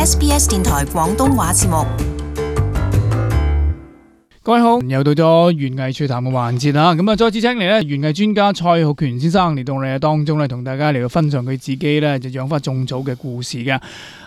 SBS 電台廣東話節目。各位好，又到咗園藝趣談嘅環節啦。咁啊，再次請嚟咧園藝專家蔡浩權先生嚟到我哋嘅當中咧，同大家嚟到分享佢自己咧就養花種草嘅故事嘅。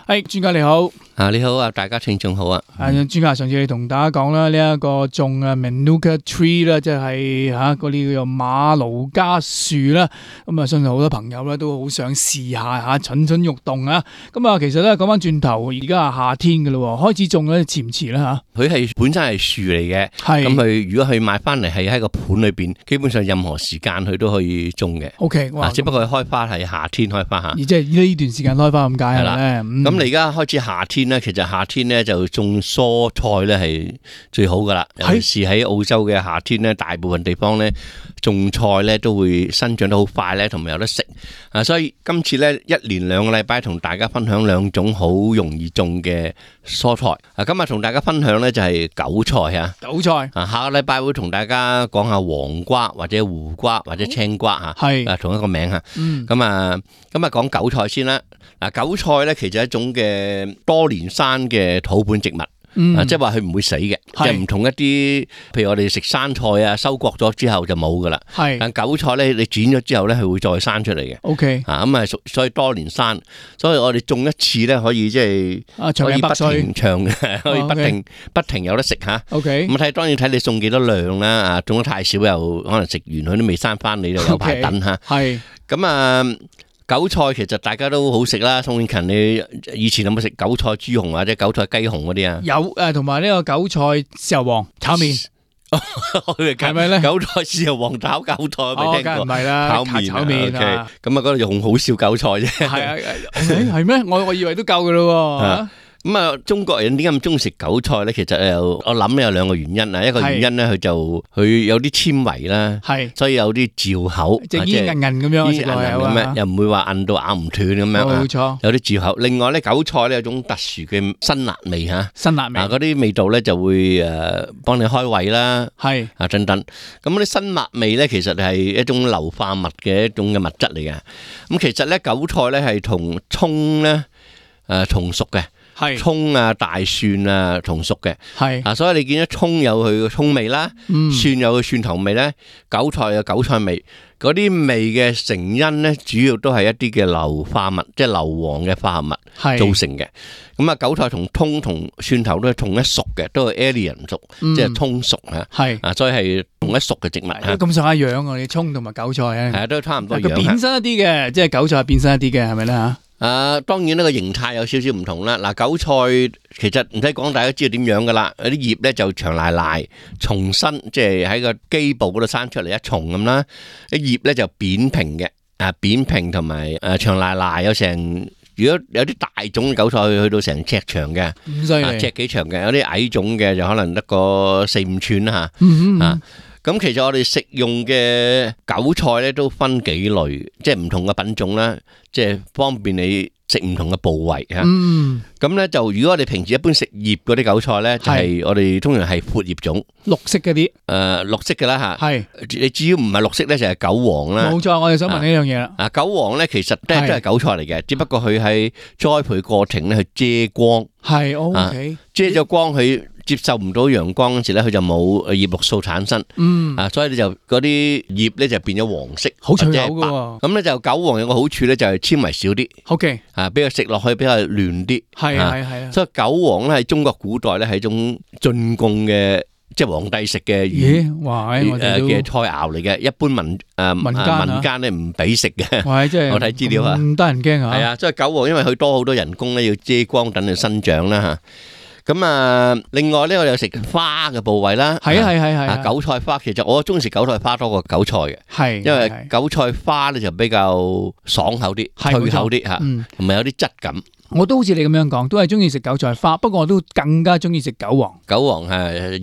係專家你好，你好啊，大家聽眾好啊。專家上次你同大家講啦，呢一個種Manuka tree 啦，即係嗰啲叫做馬盧加樹啦。咁啊，相信好多朋友咧都好想試下蠢蠢欲動啊。咁啊，其實咧講翻轉頭，而家係夏天嘅咯，開始種咧遲唔遲啦吓？佢係本身係樹嚟嘅，咁佢如果佢買翻嚟係喺個盤裏邊，基本上任何時間佢都可以種嘅。OK， 只不過佢開花係夏天開花吓。而即係呢段時間開花咁解係啦。咁你而家開始夏天咧，其實夏天咧就種蔬菜咧係最好噶啦。尤其是喺澳洲嘅夏天咧，大部分地方咧種菜咧都會生長得好快咧，同埋有得食。所以今次咧一連2個禮拜同大家分享2種好容易種嘅蔬菜。今日同大家分享咧就係韭菜啊。韭菜下個禮拜會同大家講下黃瓜或者胡瓜或者青瓜吓，係同一個名吓。咁啊講韭菜先啦。韭菜咧其實係一種嘅多年生嘅土本植物。即係話佢唔會死嘅，即係唔同一啲，譬如我哋食生菜啊，收割咗之後就冇噶啦。但韭菜咧，你剪咗之後咧，佢會再生出嚟嘅。OK，所以多年生，所以我哋種一次咧，可以即係可以不停長嘅，可以不停有得食吓。OK，咁當然睇你種幾多量啦。種得太少又可能食完佢都未生翻，你就有排等吓。係咁韭菜其實大家都好食啦，宋永勤，你以前有冇食韭菜豬紅或者韭菜雞紅嗰啲啊？有同埋呢個韭菜豉油黃炒麵，係咪咧？韭菜豉油黃炒韭菜未聽過？唔係啦，炒麵啊！咁嗰度用好少韭菜啫。係咩？我以為都夠噶咯。中國人點解咁中意食韭菜咧？其實我諗有2個原因啊。一個原因咧，佢有啲纖維啦，所以有啲嚼口，即係煙韌韌咁樣，又唔會話韌到咬唔斷咁樣。冇錯，有啲嚼口。另外咧，韭菜咧有種特殊嘅辛辣味吓，辛辣味嗰啲味道咧就會幫你開胃啦，等等。咁嗰啲辛辣味咧，其實係一種硫化物嘅一種嘅物質嚟嘅。咁其實咧，韭菜咧係同蔥咧同屬嘅。蔥啊、大蒜啊同屬嘅，所以你見到蔥有佢嘅蔥味啦，蒜有佢蒜頭味咧，韭菜有韭菜味，嗰啲味嘅成因咧，主要都係一啲嘅硫化物，即係硫磺嘅化合物造成嘅。咁韭菜同蔥同蒜頭都係同一屬嘅，都係 allium 屬，即係蔥屬啊，所以係同一屬嘅植物。咁上下樣啊，你蔥同埋韭菜啊，都差唔多樣。變身一啲嘅，即係韭菜變身一啲嘅，係咪咧吓？當然呢個形態有少少唔同啦。韭菜其實唔使講，大家知道點樣噶啦。有啲葉咧就長賴賴，重身，即係喺個基部嗰度生出嚟一重咁啦。啲葉咧就扁平嘅，扁平同埋長賴賴，有成，如果有啲大種嘅韭菜去到成尺長嘅，尺幾長嘅，有啲矮種嘅就可能得個4-5寸啦吓。咁其實我哋食用嘅韭菜咧都分幾類，即係唔同嘅品種啦，即係方便你食唔同嘅部位吓。咁咧就如果我哋平時一般食葉嗰啲韭菜咧，就係我哋通常係闊葉種，綠色嗰啲，綠色嘅啦吓。你只要唔係綠色咧，就係韭黃啦。冇錯，我哋想問呢樣嘢啦。韭黃咧其實都係韭菜嚟嘅，只不過佢喺栽培過程咧去遮光。OK，遮咗光佢。接受唔到陽光嗰時咧，佢就冇葉綠素產生，所以你就嗰啲葉咧就變咗黃色，好脆口噶。咁咧就韭黃有個好處咧，就係纖維少啲，OK，比較食落去比較嫩啲，係。所以韭黃咧喺中國古代咧係一種進貢嘅，即係皇帝食嘅嘅菜肴嚟嘅，一般民間咧唔俾食嘅。我睇資料啊，唔得人驚啊。係啊，所以韭黃因為佢多好多人工咧，要遮光等佢生長啦吓。咁另外咧，我哋有食花嘅部位啦。係。韭菜花其實我中意食韭菜花多過韭菜嘅，因為韭菜花咧就比較爽口啲、脆口啲吓，同埋有啲質感。我都好似你咁樣講，都係中意食韭菜花，不過我都更加中意食韭黃。韭黃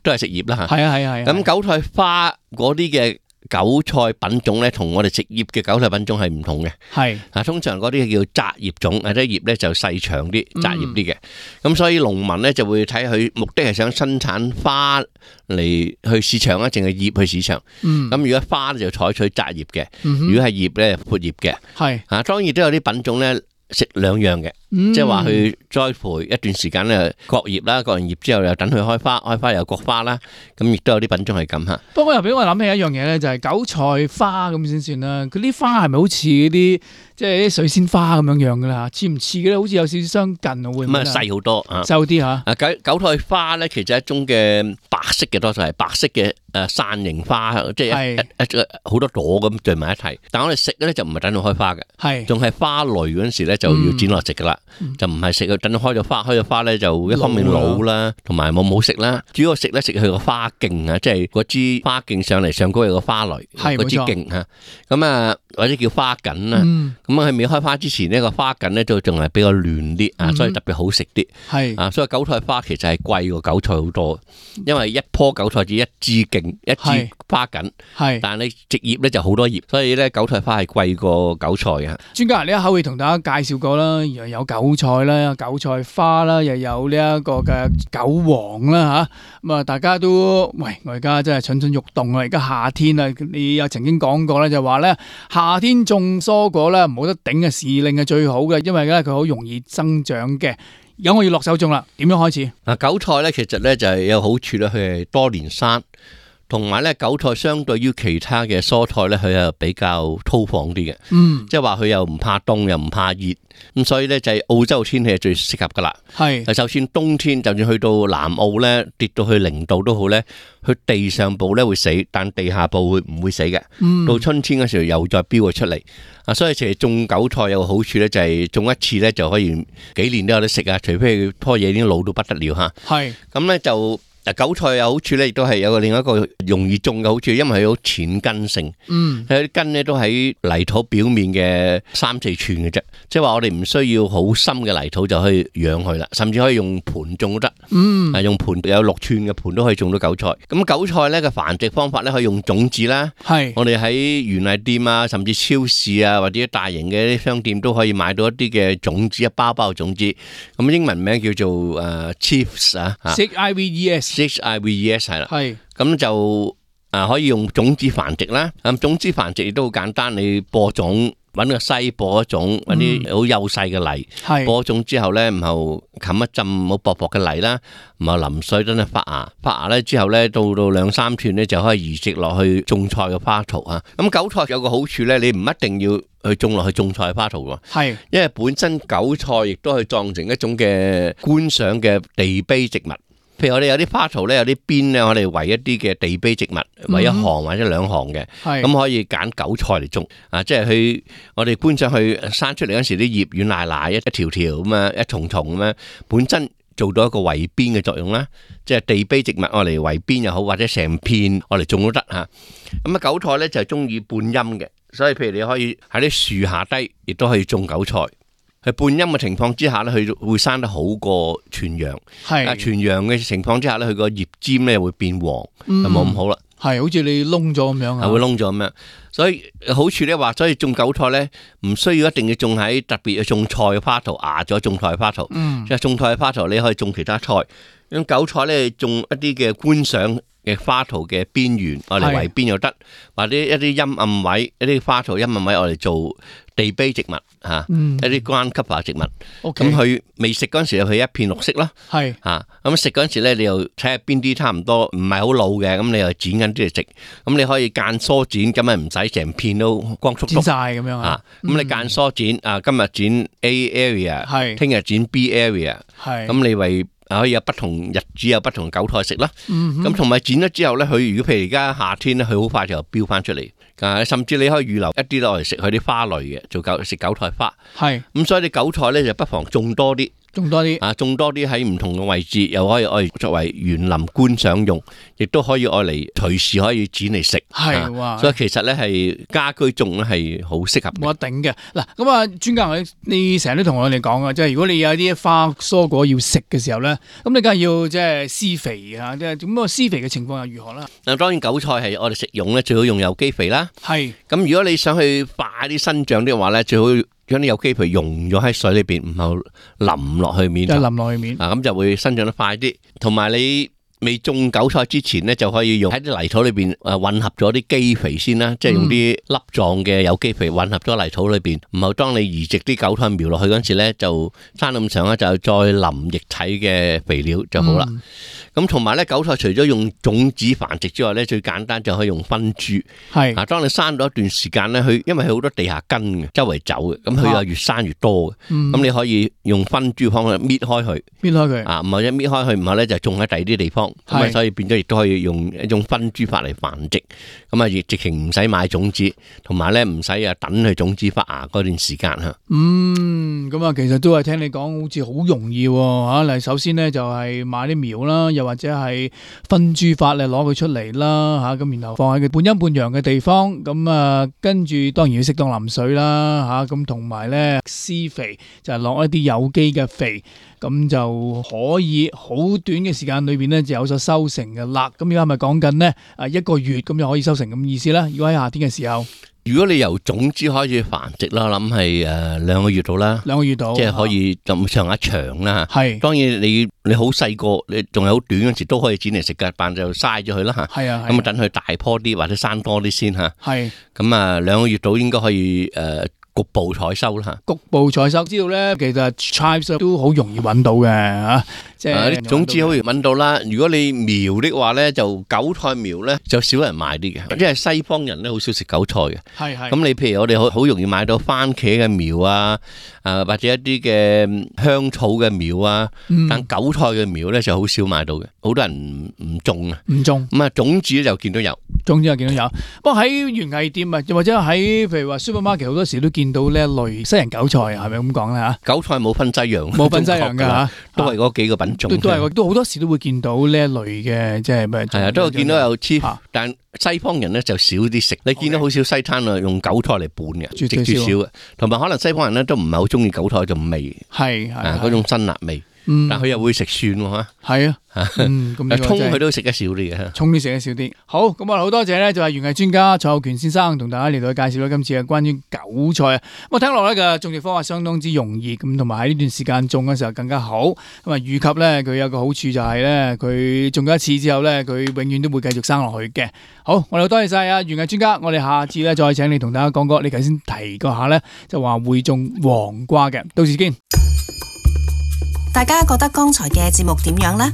都係食葉啦吓。係。咁韭菜花嗰啲嘅韭菜品種咧，同我哋食葉嘅韭菜品種係唔同嘅。通常嗰啲叫窄葉種，啲葉咧就細長啲、窄葉啲嘅。咁所以農民咧就會睇佢目的係想生產花嚟去市場啊，淨係葉去市場。咁如果花就採取窄葉嘅，如果係葉咧闊葉嘅。當然都有啲品種咧。食兩樣嘅，即係話去栽培一段時間咧，割葉啦，割完葉之後又等佢開花，開花又割花啦，咁亦都有啲品種係咁吓。不過又俾我諗起一樣嘢咧，就係韭菜花咁先算啦。佢啲花係咪好似啲即係啲水仙花咁樣樣噶啦？似唔似嘅咧？好似有少少相近啊，會唔會？咁啊細好多啊，細啲吓。韭菜花咧，其實係一種嘅白色嘅，多數係白色嘅傘形花，即係一好多朵咁聚埋一齊。但係我哋食咧就唔係等到開花嘅，係仲係花蕾嗰陣時咧就要剪落食噶啦，就唔係食佢等到開咗花咧就一方面老啦，同埋冇食啦。主要食咧食佢個花莖啊，即係嗰支花莖上高有個花蕾，嗰支莖吓，咁啊或者叫花梗啦。咁啊喺未開花之前呢個花梗咧就仲係比較嫩啲啊，所以特別好食啲。係啊，所以韭菜花其實係貴過韭菜好多，因為一棵韭菜只一支莖一支花梗，係但係你直葉咧就好多葉，所以咧韭菜花係貴過韭菜嘅。專家呢一口會同大家介紹過啦，又有韭菜啦、韭菜花啦，又有呢一個嘅韭黃啦吓。咁啊，大家都喂，我而家真係蠢蠢欲動啊！而家夏天啊，你又曾經講過咧，就話咧夏天種蔬果咧冇得頂嘅時令係最好嘅，因為咧佢好容易增長嘅。而家我要落手種啦，點樣開始？嗱，韭菜咧其實咧就係有好處咧，佢係多年生。同埋咧，韭菜相對於其他嘅蔬菜咧，佢係比較粗放啲嘅，即係話佢又唔怕凍，又唔怕熱，咁所以咧就係澳洲天氣係最適合噶啦。係，就算冬天，就算去到南澳咧，跌到去0度都好咧，佢地上部咧會死，但地下部會唔會死嘅？到春天嗰時候又再飆咗出嚟。啊，所以其實種韭菜有個好處咧，就係種一次咧就可以幾年都有得食啊，除非佢棵嘢已經老到不得了吓。係，咁咧就。韭菜有好處咧，亦都係有另一個容易種嘅好處，因為佢好淺根性，佢啲根咧都喺泥土表面嘅3-4寸嘅啫，即係話我哋唔需要好深嘅泥土就可以養佢啦，甚至可以用盆種都得，用盆有6寸嘅盆都可以種到韭菜。咁韭菜咧嘅繁殖方法咧可以用種子啦，係我哋喺園藝店啊，甚至超市啊或者大型嘅啲商店都可以買到一啲嘅種子，一包包嘅種子，咁英文名叫做Chives 啊 ，Chives 係啦，係咁就可以用種子繁殖啦。咁種子繁殖亦都好簡單，你播種，揾個篩播一種，揾啲好幼細嘅泥，播種之後咧，然後冚一浸好薄薄嘅泥啦，然後淋水等佢發芽，發芽咧之後咧到2-3寸咧就可以移植落去種菜嘅花槽啊。咁韭菜有個好處咧，你唔一定要去種落去種菜花槽喎，係因為本身韭菜亦都係當成一種嘅觀賞嘅地碑植物。譬如我哋有啲花槽咧，有啲邊咧，我哋圍一啲嘅地碑植物，圍一行或者2行嘅，咁可以揀韭菜嚟種啊！即係佢我哋觀賞佢生出嚟嗰時，啲葉軟賴賴，一條條咁樣，一重重咁樣，本身做到一個圍邊嘅作用啦。即係地碑植物，我嚟圍邊又好，或者成片我嚟種都得吓。咁啊，韭菜咧就係中意半陰嘅，所以譬如你可以喺啲樹下低，亦都可以種韭菜。喺半陰嘅情況之下咧，佢會生得好過全陽。係全陽嘅情況之下咧，佢個葉尖咧會變黃，就冇咁好啦。係好似你窿咗咁樣啊，係會窿咗咁樣。所以好處咧話，所以種韭菜咧唔需要一定要種喺特別嘅種菜嘅花槽，壓咗種菜嘅花槽。即係種菜嘅花槽，你可以種其他菜。咁韭菜咧種一啲嘅觀賞嘅花槽嘅邊緣，我嚟圍邊又得，或者一啲陰暗位，一啲花槽陰暗位，我嚟做地碑植物吓，一啲ground cover植物。咁佢未食嗰陣時，佢一片綠色啦。係吓，咁食嗰陣時咧，你又睇下邊啲差唔多唔係好老嘅，咁你又剪緊啲嚟食。咁你可以間疏剪，咁咪唔使成片都光禿禿剪晒咁樣啊。咁你間疏剪啊，今日剪 A area， 係聽日剪 B area， 係咁你為可以有不同日子有不同韭菜食啦。咁同埋剪咗之後咧，佢如果譬如而家夏天咧，佢好快就飆翻出嚟。甚至你可以預留一啲落嚟食佢啲花類嘅，做食韭菜花。係咁，所以你韭菜咧就不妨種多啲。種多啲啊！種多啲喺唔同嘅位置，又可以愛作為園林觀賞用，亦都可以愛嚟隨時可以剪嚟食。係哇！所以其實咧係家居種咧係好適合。冇得頂嘅嗱，咁啊專家你成日都同我哋講啊，即係如果你有啲花蔬果要食嘅時候咧，咁你梗係要即係施肥啊！即係咁個施肥嘅情況又如何啦？嗱，當然韭菜係我哋食用咧，最好用有機肥啦。係咁，如果你想去快啲生長嘅話咧，最好將啲有機肥溶咗喺水裏邊，唔好淋落去面，就淋落去面啊，咁就會生長得快啲。同埋你未種韭菜之前咧，就可以用喺啲泥土裏邊混合咗啲基肥先啦，即係用啲粒狀嘅有機肥混合咗泥土裏邊，然後當你移植啲韭菜苗落去嗰陣時咧，就生咁上咧，就再淋液體嘅肥料就好啦。咁同埋咧，韭菜除咗用種子繁殖之外咧，最簡單就可以用分株。係嗱，當你生咗一段時間咧，因為佢好多地下根嘅，周圍走嘅，咁佢又越生越多嘅。咁你可以用分株方法搣開佢，啊，唔係一搣開佢，唔係咧就種喺第二啲地方。咁啊，所以變咗亦都可以用一種分株法嚟繁殖。咁啊，亦直情唔使買種子，同埋咧唔使等佢種子發芽嗰段時間吓。咁啊，其實都係聽你講，好似好容易吓。嚟，首先咧就係買啲苗啦，又或者係分株法嚟攞佢出嚟啦吓，咁然後放喺佢半陰半陽嘅地方，咁啊跟住當然要適當淋水啦吓，咁同埋咧施肥就係落一啲有機嘅肥，咁就可以好短嘅時間裏邊咧就有所收成嘅啦。咁而家係咪講緊呢1個月咁就可以收成咁意思啦？如果喺夏天嘅時候。如果你由種子開始繁殖啦，諗係2個月到啦，2個月到，即係可以咁上下長啦吓。係，當然你好細個，你仲係好短嗰陣時都可以剪嚟食噶，但就嘥咗佢啦吓。係啊，咁啊等佢大棵啲或者生多啲先吓。係，咁啊2個月到應該可以局部採收啦吓。局部採收，知道咧，其實 chives 都好容易揾到嘅吓。即係種子好容易揾到啦。如果你苗的話咧，就韭菜苗咧就少人買啲嘅，因為西方人咧好少食韭菜嘅。係係。咁你譬如我哋好容易買到番茄嘅苗啊，或者一啲嘅香草嘅苗啊，但韭菜嘅苗咧就好少買到嘅，好多人唔種啊。唔種。咁啊，種子就見到有。種子就見到有。不過喺園藝店啊，或者喺譬如話 supermarket 好多時都見到呢一類西洋韭菜，係咪咁講咧吓？韭菜冇分西洋，冇分西洋噶吓，都係嗰幾個品種。都好多時都會見到呢一類嘅，即係咩？係啊，都會見到有chives，但西方人咧就少啲食。你見到好少西餐啊，用韭菜嚟拌嘅，絕少嘅。同埋可能西方人咧都唔係好中意韭菜嗰種味，係嗰種辛辣味。但佢又會食蒜喎，係啊，咁葱佢都食得少啲嘅，葱都食得少啲。好，咁啊好多謝咧，就係園藝專家蔡浩權先生同大家嚟到介紹咗今次嘅關於韭菜啊。咁啊聽落咧嘅種植方法相當之容易，咁同埋喺呢段時間種嘅時候更加好。咁啊預及咧佢有個好處就係咧，佢種咗一次之後咧，佢永遠都會繼續生落去嘅。好，我哋多謝晒啊園藝專家，我哋下次咧再請你同大家講過，你頭先提過下咧，就話會種黃瓜嘅，到時見。大家覺得剛才嘅節目點樣呢？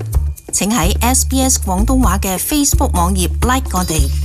請喺SBS 廣東話嘅 Facebook 網頁 like 我哋。